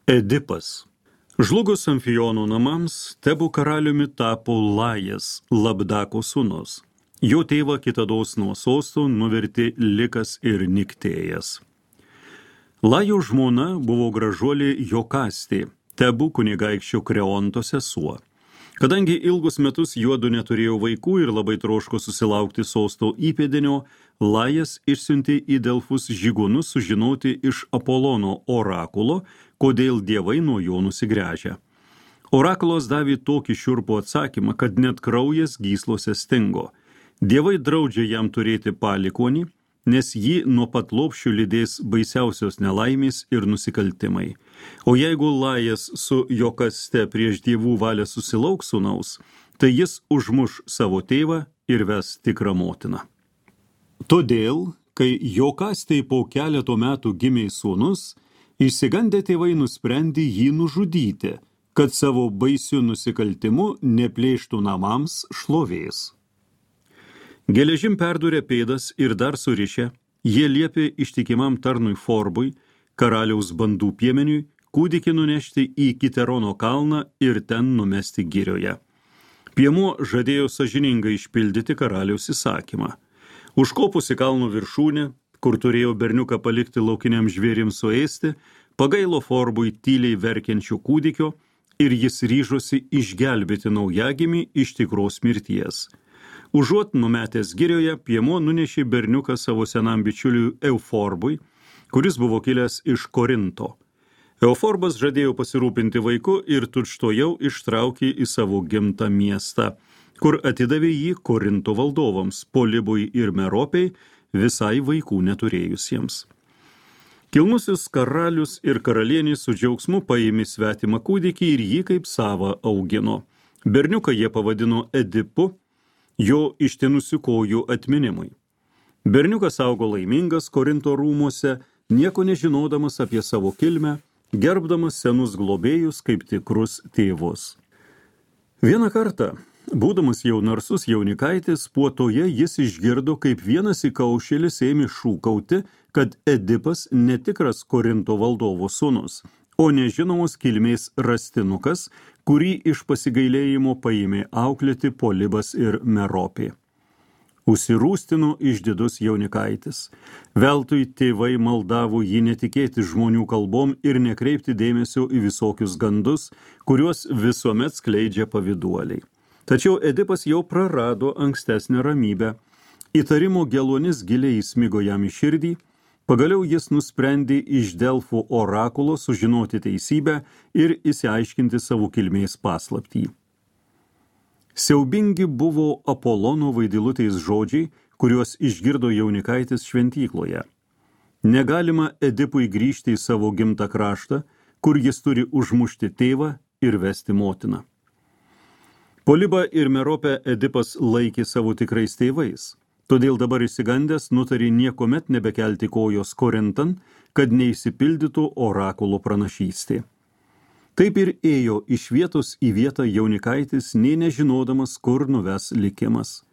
Edipas. Žlugus Amfijono namams, Tebų karaliumi tapo Lajas, Labdako sūnus. Jo tėvą kitados nuo sosto nuvertė Likas ir Niktėjas. Lajo žmona buvo gražuolė Jokastė, Tebų kunigaikščio Kreonto sesuo. Kadangi ilgus metus juodu neturėjo vaikų ir labai troško susilaukti sosto įpėdinio, Lajas išsiuntė į Delfus žygūnus sužinoti iš Apolono orakulo, kodėl dievai nuo jo nusigręžia. Orakulas davė tokį šiurpų atsakymą, kad net kraujas gyslose stingo. Dievai draudžia jam turėti palikonį, nes jį nuo pat lopšių lydės baisiausios nelaimės ir nusikaltimai. O jeigu Lajas su Jokaste prieš dievų valią susilauks sūnaus, tai jis užmuš savo tėvą ir ves tikrą motiną. Todėl, kai Jokastei po keleto metų gimė sūnus, išsigandę tėvai nusprendė jį nužudyti, kad savo baisiu nusikaltimu neplėštų namams šlovės. Geležim perdūrė pėdas ir dar surišę, jie liepė ištikimam tarnui Forbui, karaliaus bandų piemeniui, kūdikį nunešti į Kiterono kalną ir ten numesti girioje. Piemuo žadėjo sąžiningai išpildyti karaliaus įsakymą. Užkopus į kalno viršūnę, kur turėjo berniuką palikti laukiniam žvėrims suėsti, pagailo Forbui tyliai verkiančio kūdikio ir jis ryžosi išgelbėti naujagimį iš tikros mirties. Užuot numetęs girioje, piemuo nunešė berniuką savo senam bičiuliui Euforbui, kuris buvo kilęs iš Korinto. Euforbas žadėjo pasirūpinti vaiku ir tučtuojau ištraukė į savo gimtą miestą, kur atidavė jį Korinto valdovams, Polibui ir Meropei, visai vaikų neturėjusiems. Kilnusis karalius ir karalienė su džiaugsmu paėmė svetimą kūdikį ir jį kaip savą augino. Berniuką jie pavadino Edipu, jo ištinusių kojų atminimui. Berniukas augo laimingas Korinto rūmuose, nieko nežinodamas apie savo kilmę, gerbdamas senus globėjus kaip tikrus tėvus. Vieną kartą, būdamas jau narsus jaunikaitis, puotoje jis išgirdo, kaip vienas įkaušėlis ėmė šūkauti, kad Edipas netikras Korinto valdovo sūnus, o nežinomos kilmės rastinukas, kurį iš pasigailėjimo paėmė auklėti Polibas ir Meropė. Užsirūstino išdidus jaunikaitis. Veltui tėvai maldavo jį netikėti žmonių kalbom ir nekreipti dėmesio į visokius gandus, kuriuos visuomet skleidžia pavyduoliai. Tačiau Edipas jau prarado ankstesnę ramybę. Įtarimo geluonis giliai įsmigo jam į širdį. Pagaliau jis nusprendė iš Delfų orakulo sužinoti teisybę ir išsiaiškinti savo kilmės paslaptį. Siaubingi buvo Apolono vaidilutės žodžiai, kuriuos išgirdo jaunikaitis šventykloje. Negalima Edipui grįžti į savo gimtą kraštą, kur jis turi užmušti tėvą ir vesti motiną. Polibą ir Meropę Edipas laikė savo tikrais tėvais. Todėl dabar išsigandęs nutarė niekuomet nebekelti kojos Korintan, kad neišsipildytų orakulo pranašystė. Taip ir ėjo iš vietos į vietą jaunikaitis, nė nežinodamas, kur nuves likimas.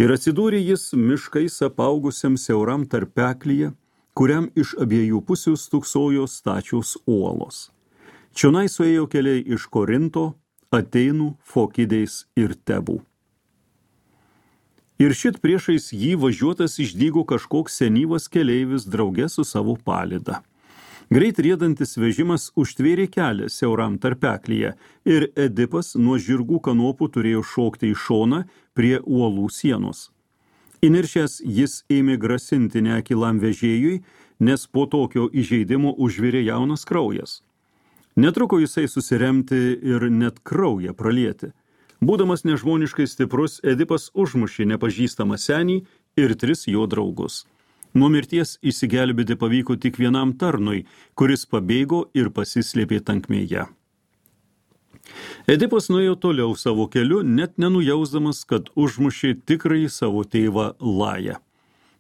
Ir atsidūrė jis miškais apaugusiam siauram tarpeklyje, kuriam iš abiejų pusių stūksojo stačios uolos. Čionai suėjo keliai iš Korinto, Atėnų, Fokidės ir Tebų. Ir šit priešais jį važiuotas išdygo kažkoks senyvas keleivis drauge su savo palyda. Greit riedantis vežimas užtvėrė kelią siauram tarpeklyje ir Edipas nuo žirgų kanopų turėjo šokti į šoną prie uolų sienos. Įniršęs jis ėmė grasinti neakilam vežėjui, nes po tokio įžeidimo užvirė jaunas kraujas. Netruko jisai susiremti ir net kraują pralieti. Būdamas nežmoniškai stiprus, Edipas užmušė nepažįstamą senį ir 3 jo draugus. Nuo mirties išsigelbėti pavyko tik vienam tarnui, kuris pabėgo ir pasislėpė tankmėje. Edipas nuėjo toliau savo keliu, net nenujausdamas, kad užmušė tikrąjį savo tėvą Lają.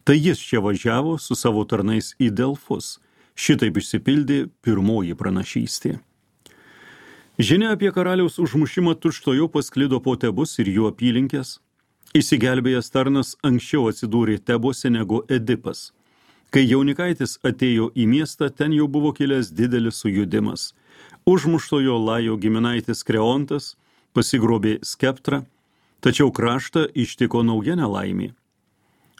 Tai jis čia važiavo su savo tarnais į Delfus. Šitaip išsipildė pirmoji pranašystė. Žinia apie karaliaus užmušimą tučtuojau pasklido po Tebus ir jų apylinkės. Išsigelbėjęs tarnas anksčiau atsidūrė Tebuose negu Edipas. Kai jaunikaitis atėjo į miestą, ten jau buvo kilęs didelis sujudimas. Užmuštojo Lajo giminaitis Kreontas pasigrobė skeptrą, tačiau kraštą ištiko nauja nelaimė.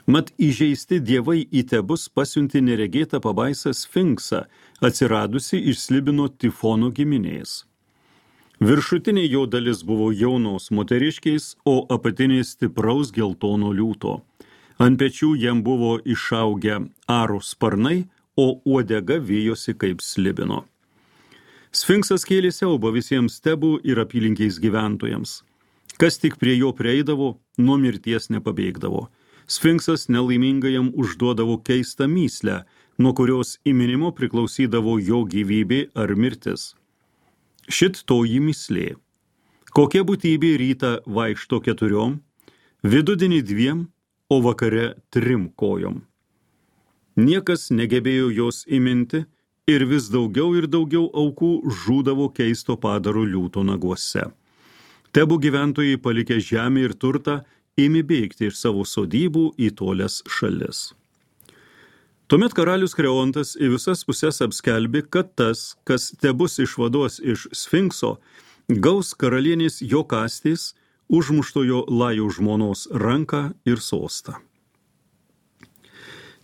Mat įžeisti dievai į Tebus pasiuntė neregėtą pabaisą Sfinksą, atsiradusi iš Slibino Tifono giminės. Viršutinė jo dalis buvo jaunos moteriškiais, o apatinė stipraus geltono liūto. Ant pečių jam buvo išaugę aro sparnai, o uodega vijosi kaip slibino. Sfinksas kėlė siaubą visiems Tebų ir apylinkiais gyventojams. Kas tik prie jo prieidavo, nuo mirties nepabėgdavo. Sfinksas nelaimingajam užduodavo keistą mįslę, nuo kurios įminimo priklausydavo jo gyvybė ar mirtis. Šit toji mįslė. Kokia būtybė rytą vaikšto 4, vidudienį 2, o vakare 3 kojom. Niekas negebėjo jos įminti ir vis daugiau ir daugiau aukų žūdavo keisto padaro liūto naguose. Tebų gyventojai palikę žemę ir turtą ėmė bėgti iš savo sodybų į tolias šalis. Tuomet karalius Kreontas į visas pusės apskelbė, kad tas, kas Tebus išvaduos iš Sfinkso, gaus karalienės Jokastės, užmuštojo Lajo žmonos ranką ir sostą.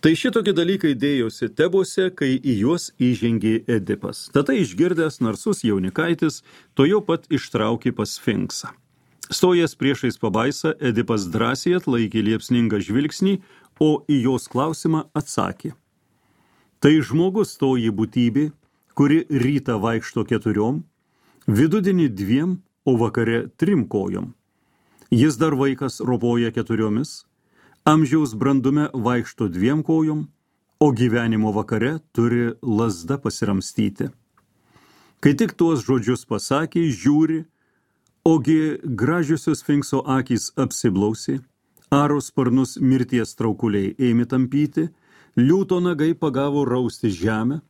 Tai šitokie dalykai dėjosi Tebuose, kai į juos įžengė Edipas. Tada išgirdęs narsus jaunikaitis, to jau pat ištraukė pas Sfinksą. Stojęs priešais pabaisą, Edipas drąsiai atlaikė liepsningą žvilgsnį, o į jos klausimą atsakė. Tai žmogus toji būtybė, kuri rytą vaikšto 4, vidudienį 2, o vakare 3 kojom. Jis dar vaikas ropoja 4, amžiaus brandume vaikšto 2 kojom, o gyvenimo vakare turi lazda pasiramstyti. Kai tik tuos žodžius pasakė, žiūri, ogi gražiosios Sfinkso akys apsiblausė, aro sparnus mirties traukuliai ėmė tampyti, liūto nagai pagavo rausti žemę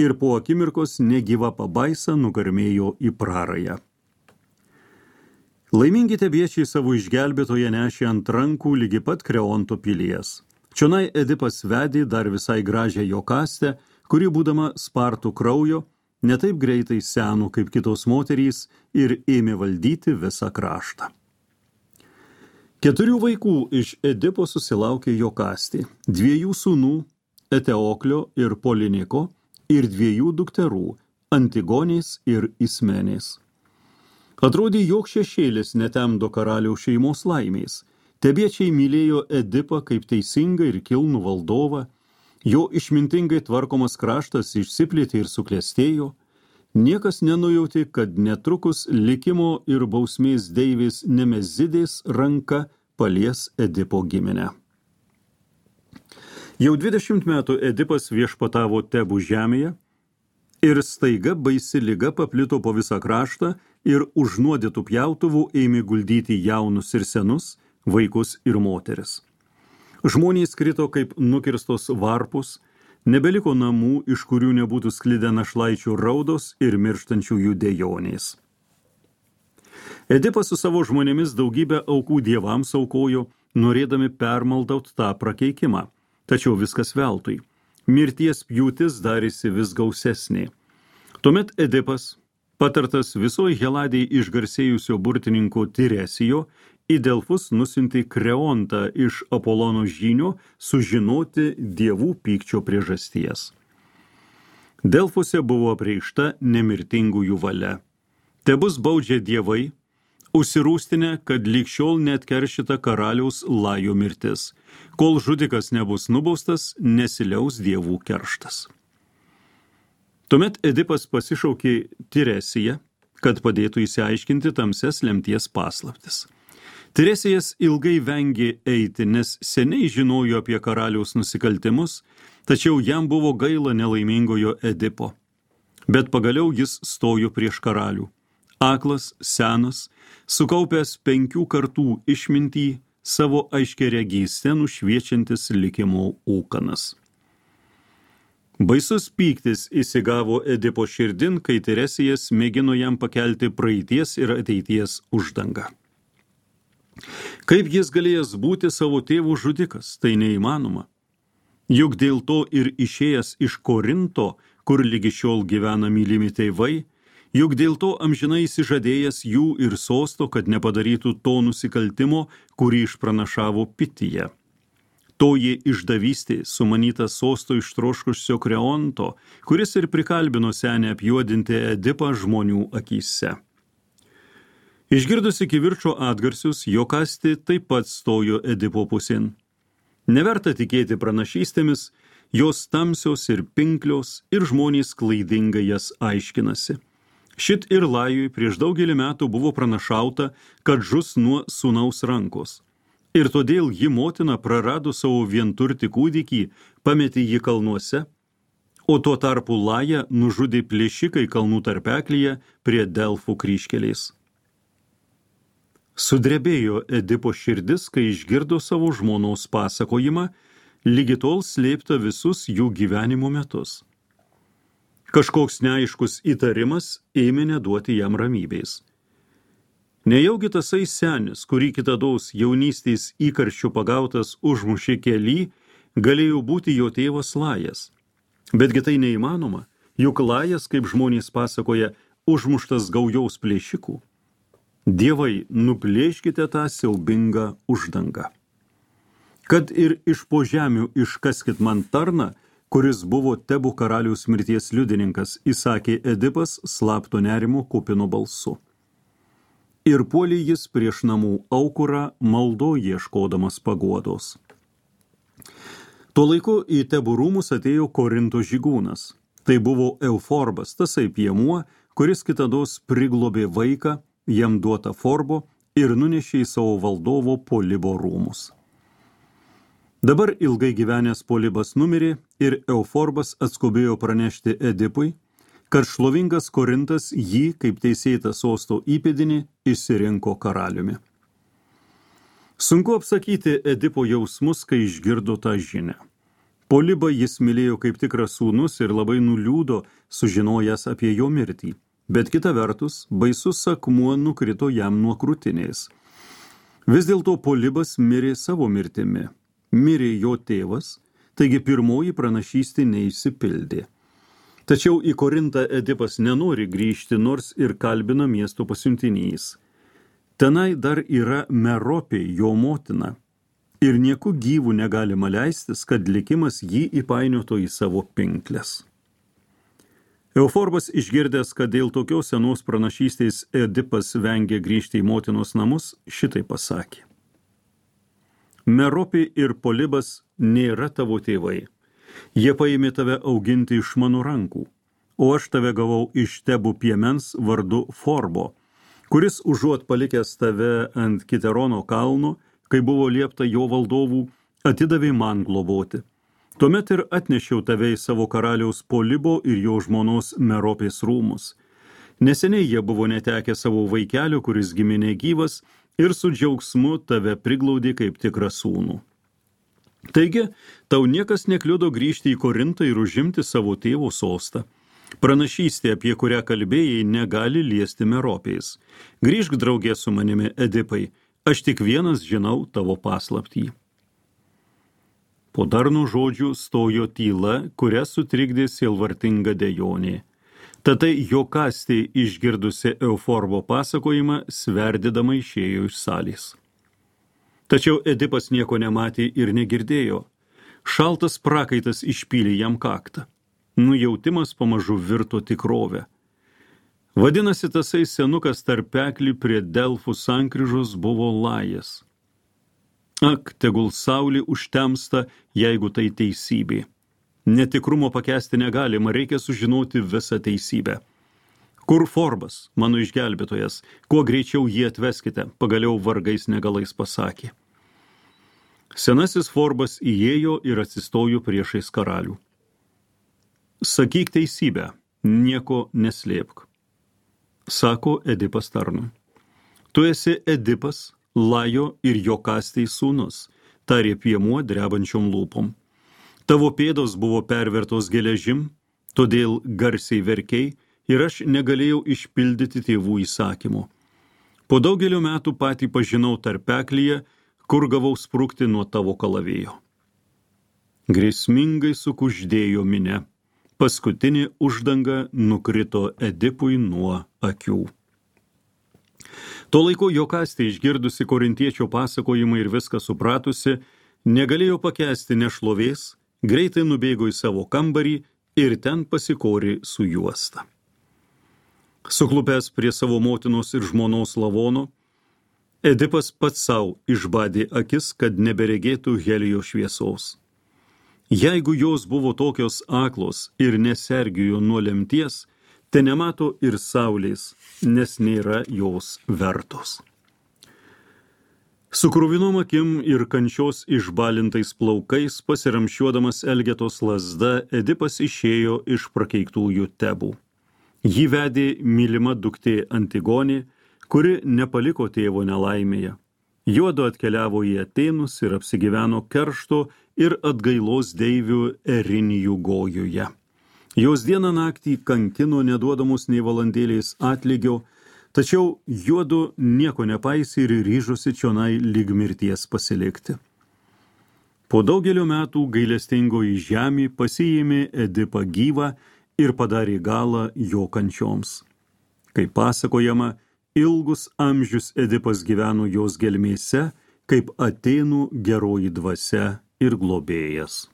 ir po akimirkos negyva pabaisa nugarmėjo į prarają. Laimingi tebiečiai savo išgelbėtoje nešė ant rankų lygi pat Kreonto pilies. Čionai Edipas vedė dar visai gražią Jokastę, kuri būdama spartų kraujo, netaip greitai seno kaip kitos moterys ir ėmė valdyti visą kraštą. 4 vaikų iš Edipo susilaukė Jokastė, 2 sūnų, Eteoklio ir Poliniko, ir 2 dukterų, Antigonės ir Ismenės. Atrodė, jog šešėlis netemdo karaliaus šeimos laimės. Tebiečiai mylėjo Edipą kaip teisingą ir kilnų valdovą, jo išmintingai tvarkomas kraštas išsiplėtė ir suklestėjo, niekas nenujautė, kad netrukus likimo ir bausmės deivės Nemezidės ranka palies Edipo giminę. Jau 20 metų Edipas viešpatavo Tebų žemėje ir staiga baisi liga paplito po visą kraštą ir užnuodytų pjautuvų ėmė guldyti jaunus ir senus, vaikus ir moteris. Žmonės krito kaip nukirstos varpus, nebeliko namų, iš kurių nebūtų sklidę našlaičių raudos ir mirštančiųjų dejonės. Edipas su savo žmonėmis daugybę aukų dievams aukojo, norėdami permaldaut tą prakeikimą, tačiau viskas veltui. Mirties pjūtis darėsi vis gausesnė. Tuomet Edipas, patartas visoje Heladėje išgarsėjusio burtininko Tiresijo, į Delfus nusiuntė Kreontą iš Apolono žynio sužinoti dievų pykčio priežasties. Delfuose buvo apreikšta nemirtingųjų valia. Tebus baudžia dievai, užsirūstinę, kad lyg šiol neatkeršyta karaliaus Lajo mirtis. Kol žudikas nebus nubaustas, nesiliaus dievų kerštas. Tuomet Edipas pasišaukė Tiresiją, kad padėtų išsiaiškinti tamsias lemties paslaptis. Tiresijas ilgai vengė eiti, nes seniai žinojo apie karaliaus nusikaltimus, tačiau jam buvo gaila nelaimingojo Edipo. Bet pagaliau jis stojo prieš karalių. Aklas, senas, sukaupęs 5 kartų išmintį, savo aiškiaregystę nušviečiantis likimo ūkanas. Baisus pyktis įsigavo Edipo širdin, kai Tiresijas mėgino jam pakelti praeities ir ateities uždangą. Kaip jis galėjęs būti savo tėvų žudikas, tai neįmanoma. Juk dėl to ir išėjęs iš Korinto, kur lygi šiol gyvena mylimi tėvai, juk dėl to amžinai įsižadėjęs jų ir sosto, kad nepadarytų to nusikaltimo, kurį išpranašavo Pityje. Toji išdavystė sumanyta sosto ištroškusio Kreonto, kuris ir prikalbino senę apjuodinti Edipą žmonių akyse. Išgirdusi kivirčo atgarsius, Jokastė taip pat stojo Edipo pusėn. Neverta tikėti pranašystėmis, jos tamsios ir pinklios, ir žmonės klaidingai jas aiškinasi. Šit ir Lajui prieš daugelį metų buvo pranašauta, kad žus nuo sūnaus rankos. Ir todėl ji motina prarado savo vienturtį kūdikį, pametė jį kalnuose, o tuo tarpu Lają nužudė plėšikai kalnų tarpeklyje prie Delfų kryžkelės. Sudrebėjo Edipo širdis, kai išgirdo savo žmonos pasakojimą, lygi tol slėpta visus jų gyvenimo metus. Kažkoks neaiškus įtarimas ėmė neduoti jam ramybės. Nejaugi tasai senis, kurį kitados jaunystės įkarščių pagautas užmušė kely, galėjo būti jo tėvas Lajas. Betgi tai neįmanoma, juk Lajas, kaip žmonės pasakoja, užmuštas gaujaus plėšikų. Dievai, nuplėškite tą siaubingą uždangą. Kad ir iš po žemių iškaskit man tarną, kuris buvo Tebų karaliaus mirties liudininkas, įsakė Edipas slapto nerimo kupinu balsu. Ir puolė jis prieš namų aukurą, maldo ieškodamas paguodos. Tuo laiku į Tebų rūmus atėjo Korinto žygūnas. Tai buvo Euforbas, tasai piemuo, kuris kitados priglobė vaiką, jam duotą Forbo ir nunešė į savo valdovo Polibo rūmus. Dabar ilgai gyvenęs Polibas numirė ir Euforbas atskubėjo pranešti Edipui, kad šlovingas Korintas jį, kaip teisėtą sosto įpėdinį, išsirinko karaliumi. Sunku apsakyti Edipo jausmus, kai išgirdo tą žinią. Polibą jis mylėjo kaip tikras sūnus ir labai nuliūdo, sužinojęs apie jo mirtį. Bet kita vertus, baisus akmuo nukrito jam nuo krūtinės. Vis dėlto Polibas mirė savo mirtimi. Mirė jo tėvas, taigi pirmoji pranašystė neišsipildė. Tačiau į Korintą Edipas nenori grįžti, nors ir kalbina miesto pasiuntinys. Tenai dar yra Meropė, jo motina, ir nieku gyvų negalima leistis, kad likimas jį įpainiotų į savo pinkles. Euforbas išgirdęs, kad dėl tokios senos pranašystės Edipas vengia grįžti į motinos namus, šitai pasakė. Meropė ir Polibas nėra tavo tėvai. Jie paėmė tave auginti iš mano rankų, o aš tave gavau iš Tebų piemens vardu Forbo, kuris užuot palikęs tave ant Kiterono kalno, kai buvo liepta jo valdovų, atidavė man globoti. Tuomet ir atnešiau tave į savo karaliaus Polibo ir jo žmonos Meropės rūmus. Neseniai jie buvo netekę savo vaikelio, kuris gimė negyvas, ir su džiaugsmu tave priglaudė kaip tikrą sūnų. Taigi, tau niekas nekliudo grįžti į Korintą ir užimti savo tėvo sostą. Pranašystė, apie kurią kalbėjai, negali liesti Meropės. Grįžk draugė su manimi, Edipai, aš tik vienas žinau tavo paslaptį. Po darnų žodžių stojo tyla, kurią sutrikdė sielvartinga dejonė. Tatai Jokastė, išgirdusi Euforbo pasakojimą, sverdydama išėjo iš salės. Tačiau Edipas nieko nematė ir negirdėjo. Šaltas prakaitas išpylė jam kaktą. Nujautimas pamažu virto tikrovę. Vadinasi, tasai senukas tarpeklį prie Delfų sankryžos buvo Lajas. Ak, tegul saulė užtemsta, jeigu tai teisybė. Netikrumo pakęsti negalima, reikia sužinoti visą teisybę. Kur Forbas, mano išgelbėtojas, kuo greičiau jį atveskite, pagaliau vargais negalais pasakė. Senasis Forbas įėjo ir atsistojo priešais karalių. Sakyk teisybę, nieko neslėpk, sako Edipas tarnui. Tu esi Edipas, Lajo ir Jokastės sūnus, tarė piemuo drebančiom lūpom. Tavo pėdos buvo pervertos geležim, todėl garsiai verkei, ir aš negalėjau išpildyti tėvų įsakymų. Po daugelio metų patį pažinau tarpeklyje, kur gavau sprukti nuo tavo kalavėjo. Grėsmingai sukuždėjo minia. Paskutinė uždanga nukrito Edipui nuo akių. Tuo laiku Jokastė, išgirdusi korintiečio pasakojimą ir viską supratusi, negalėjo pakęsti nešlovės, greitai nubėgo į savo kambarį ir ten pasikorė su juosta. Suklupęs prie savo motinos ir žmonos lavono, Edipas pats savo išbadė akis, kad neberegėtų Helijo šviesos. Jeigu jos buvo tokios aklos ir nesergijo nuo lemties, te nemato ir saulės, nes nėra jos vertos. Su kruvinom akim ir kančios išbalintais plaukais, pasiramšiuodamas Elgetos lazda, Edipas išėjo iš prakeiktųjų Tebų. Jį vedė mylima duktė Antigonė, kuri nepaliko tėvo nelaimėje. Juodu atkeliavo į Atėnus ir apsigyveno keršto ir atgailos deivių Erinijų Gojuje. Jos dieną naktį kankino, neduodamus nei valandėlės atlygio, tačiau juodu nieko nepaisė ir ryžosi čionai lyg mirties pasilikti. Po daugelio metų gailestingoji žemė pasiėmė Edipą gyvą ir padarė galą jo kančioms. Kaip pasakojama, ilgus amžius Edipas gyveno jos gelmėse, kaip Atėnų geroji dvasia ir globėjas.